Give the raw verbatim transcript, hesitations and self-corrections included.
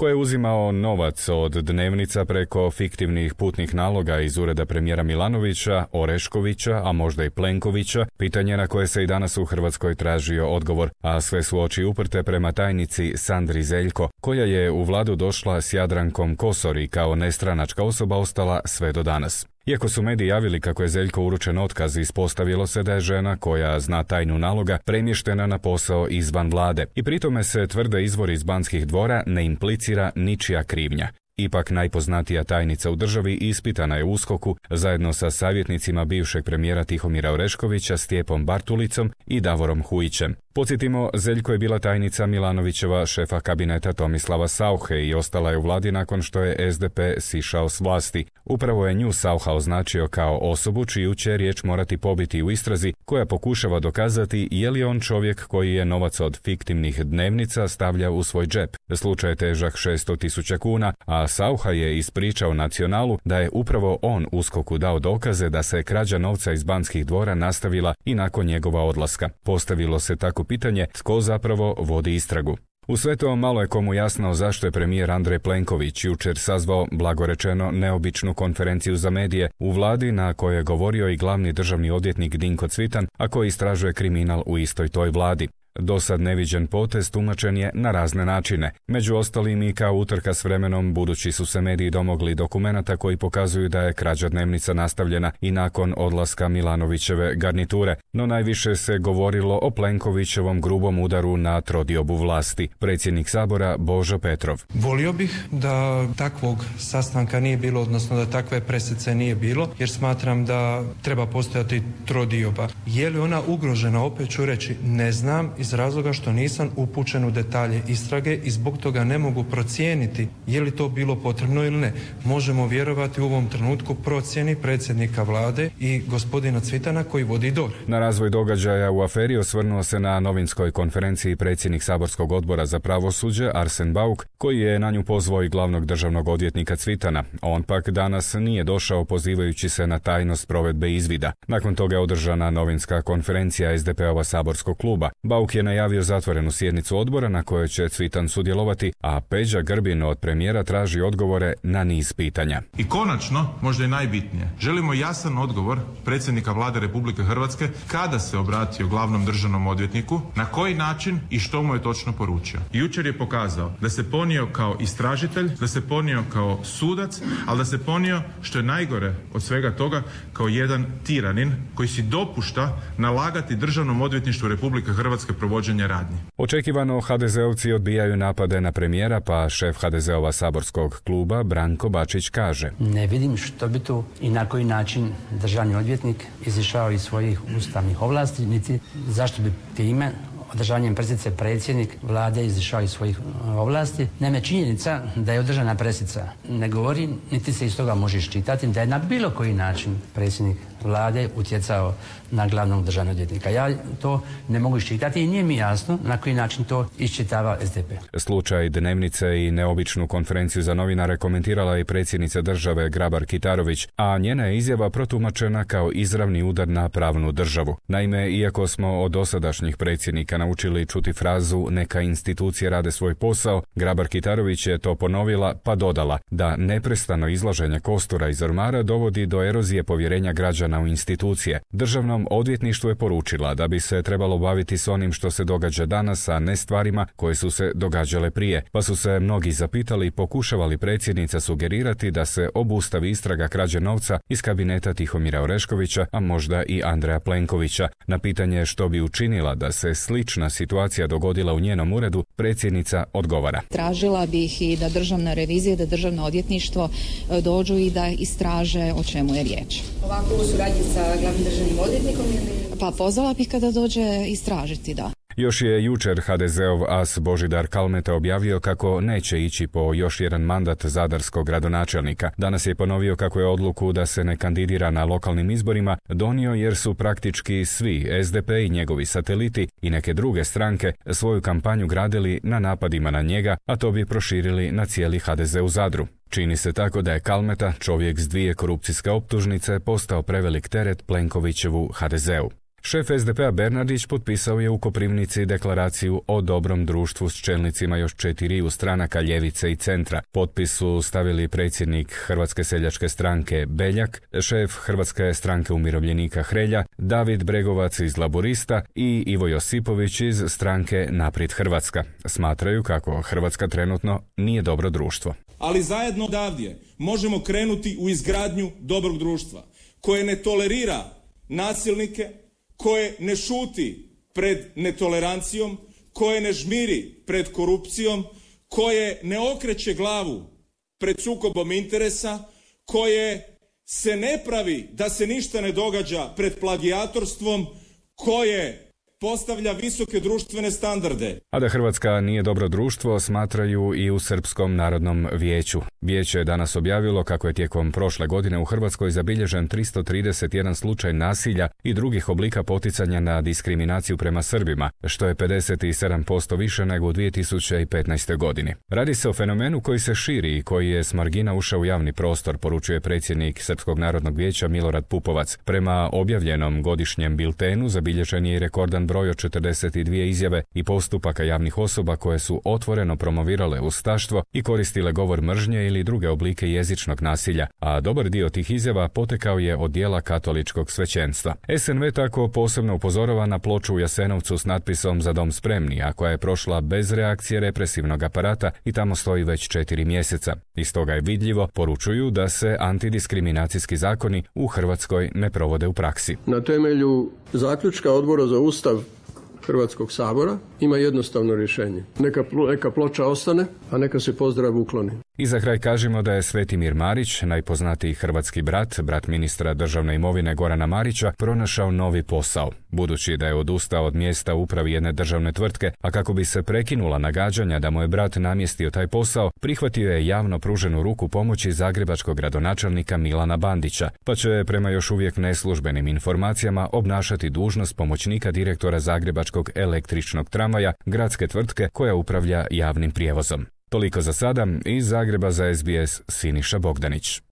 ko je uzimao novac od dnevnica preko fiktivnih putnih naloga iz ureda premijera Milanovića, Oreškovića, a možda i Plenkovića, pitanje na koje se i danas u Hrvatskoj tražio odgovor, a sve su oči uprte prema tajnici Sandri Zeljko, koja je u vladu došla s Jadrankom Kosor i kao nestranačka osoba ostala sve do danas. Iako su mediji javili kako je Zeljko uručen otkaz, ispostavilo se da je žena koja zna tajnu naloga premještena na posao izvan vlade i pritome se tvrde izvori iz Banskih dvora ne implicira ničija krivnja. Ipak najpoznatija tajnica u državi ispitana je u USKOK-u zajedno sa savjetnicima bivšeg premijera Tihomira Oreškovića, Stjepom Bartulicom i Davorom Hujićem. Podsjetimo, Zeljko je bila tajnica Milanovićeva šefa kabineta Tomislava Sauche i ostala je u vladi nakon što je es de pe sišao s vlasti. Upravo je nju Saucha označio kao osobu čiju će riječ morati pobiti u istrazi koja pokušava dokazati je li on čovjek koji je novac od fiktivnih dnevnica stavljao u svoj džep. Slučaj je težak šesto tisuća kuna, a Saucha je ispričao Nacionalu da je upravo on USKOK-u dao dokaze da se krađa novca iz Banskih dvora nastavila i nakon njegova odlaska. Postavilo se tako pitanje tko zapravo vodi istragu. U sve to malo je komu jasno zašto je premijer Andrej Plenković jučer sazvao, blagorečeno, neobičnu konferenciju za medije u vladi na kojoj je govorio i glavni državni odvjetnik Dinko Cvitan, a koji istražuje kriminal u istoj toj vladi. Dosad neviđen potez tumačen je na razne načine. Među ostalim i kao utrka s vremenom, budući su se mediji domogli dokumenata koji pokazuju da je krađa dnevnica nastavljena i nakon odlaska Milanovićeve garniture. No najviše se govorilo o Plenkovićevom grubom udaru na trodiobu vlasti. Predsjednik Sabora Božo Petrov. Volio bih da takvog sastanka nije bilo, odnosno da takve presice nije bilo, jer smatram da treba postojati trodioba. Je li ona ugrožena, opet ću reći, ne znam, iz razloga što nisam upućen u detalje istrage i zbog toga ne mogu procijeniti je li to bilo potrebno ili ne. Možemo vjerovati u ovom trenutku procjeni predsjednika vlade i gospodina Cvitana koji vodi D O R H. Na razvoj događaja u aferi osvrnuo se na novinskoj konferenciji predsjednik saborskog odbora za pravosuđe Arsen Bauk, koji je na nju pozvao i glavnog državnog odvjetnika Cvitana. On pak danas nije došao pozivajući se na tajnost provedbe izvida. Nakon toga je održana novinska konferencija es de pe-ova saborskog kluba. Bauk je najavio zatvorenu sjednicu odbora na kojoj će Cvitan sudjelovati, a Peđa Grbin od premijera traži odgovore na niz pitanja. I konačno, možda i najbitnije, želimo jasan odgovor predsjednika vlade Republike Hrvatske kada se obratio glavnom državnom odvjetniku, na koji način i što mu je točno poručio. Jučer je pokazao da se ponio kao istražitelj, da se ponio kao sudac, ali da se ponio, što je najgore od svega toga, kao jedan tiranin koji si dopušta nalagati državnom odvjetništvu Republike Hrvatske provođenje radnji. Očekivano ha de zeovci odbijaju napade na premijera, pa šef ha de zeova saborskog kluba Branko Bačić kaže: Ne vidim što bi tu i na koji način državni odvjetnik izišao iz svojih ustavnih ovlasti, niti zašto bi time održavanjem presice predsjednik vlade izišao iz svojih ovlasti. Naime, činjenica da je održana presica ne govori, niti se iz toga može iščitati da je na bilo koji način predsjednik vlade utjecao na glavnog državnog odvjetnika. Ja to ne mogu iščitati i nije mi jasno na koji način to iščitava es de pe. Slučaj dnevnice i neobičnu konferenciju za novinare komentirala i predsjednica države Grabar Kitarović, a njena je izjava protumačena kao izravni udar na pravnu državu. Naime, iako smo od dosadašnjih predsjednika naučili čuti frazu neka institucije rade svoj posao, Grabar Kitarović je to ponovila pa dodala da neprestano izlaženje kostura iz ormara dovodi do erozije povjerenja građana u institucije. Državnom odvjetništvu je poručila da bi se trebalo baviti s onim što se događa danas, a ne stvarima koje su se događale prije. Pa su se mnogi zapitali i pokušavali predsjednica sugerirati da se obustavi istraga krađe novca iz kabineta Tihomira Oreškovića, a možda i Andreja Plenkovića. Na pitanje što bi učinila da se slična situacija dogodila u njenom uredu, predsjednica odgovara: Tražila bih i da državna revizija, da državno odvjetništvo dođu i da istraže o čemu je riječ. Ovako u suradnji sa glavnim državnim odvjetnikom ili? Pa pozvala bih kada dođe istražiti, da. Još je jučer ha de zeov as Božidar Kalmeta objavio kako neće ići po još jedan mandat zadarskog gradonačelnika. Danas je ponovio kako je odluku da se ne kandidira na lokalnim izborima donio jer su praktički svi es de pe i njegovi sateliti i neke druge stranke svoju kampanju gradili na napadima na njega, a to bi proširili na cijeli ha de ze u Zadru. Čini se tako da je Kalmeta, čovjek s dvije korupcijske optužnice, postao prevelik teret Plenkovićevu ha de zeu. Šef es de pea Bernardić potpisao je u Koprivnici deklaraciju o dobrom društvu s čelnicima još četiriju stranaka ljevice i centra. Potpis su stavili predsjednik Hrvatske seljačke stranke Beljak, šef Hrvatske stranke umirovljenika Hrelja, David Bregovac iz Laburista i Ivo Josipović iz stranke Naprijed Hrvatska. Smatraju kako Hrvatska trenutno nije dobro društvo. Ali zajedno odavdje možemo krenuti u izgradnju dobrog društva koje ne tolerira nasilnike, koje ne šuti pred netolerancijom, koje ne žmiri pred korupcijom, koje ne okreće glavu pred sukobom interesa, koje se ne pravi da se ništa ne događa pred plagijatorstvom, koje postavlja visoke društvene standarde. A da Hrvatska nije dobro društvo smatraju i u Srpskom narodnom vijeću. Vijeće je danas objavilo kako je tijekom prošle godine u Hrvatskoj zabilježen tristo trideset jedan slučaj nasilja i drugih oblika poticanja na diskriminaciju prema Srbima, što je pedeset sedam posto više nego u dvije tisuće petnaestoj. godini. Radi se o fenomenu koji se širi i koji je s margina ušao u javni prostor, poručuje predsjednik Srpskog narodnog vijeća Milorad Pupovac. Prema objavljenom godišnjem biltenu zabilježen je i rekordan broj od četrdeset dvije izjave i postupaka javnih osoba koje su otvoreno promovirale ustaštvo i koristile govor mržnje ili druge oblike jezičnog nasilja, a dobar dio tih izjava potekao je od dijela katoličkog svećenstva. es en ve tako posebno upozorava na ploču u Jasenovcu s natpisom Za dom spremni, a koja je prošla bez reakcije represivnog aparata i tamo stoji već četiri mjeseca. Iz toga je vidljivo, poručuju da se antidiskriminacijski zakoni u Hrvatskoj ne provode u praksi. Na temelju zaključka Odbora za Ustav Hrvatskog sabora ima jednostavno rješenje. Neka, neka ploča ostane, a neka se pozdrav ukloni. I za kraj kažemo da je Svetimir Marić, najpoznatiji hrvatski brat, brat ministra državne imovine Gorana Marića, pronašao novi posao. Budući da je odustao od mjesta u upravi jedne državne tvrtke, a kako bi se prekinula nagađanja da mu je brat namjestio taj posao, prihvatio je javno pruženu ruku pomoći zagrebačkog gradonačelnika Milana Bandića, pa će prema još uvijek neslužbenim informacijama obnašati dužnost pomoćnika direktora zagrebačkog električnog tramvaja, gradske tvrtke koja upravlja javnim prijevozom. Toliko za sada, iz Zagreba za es be es Siniša Bogdanić.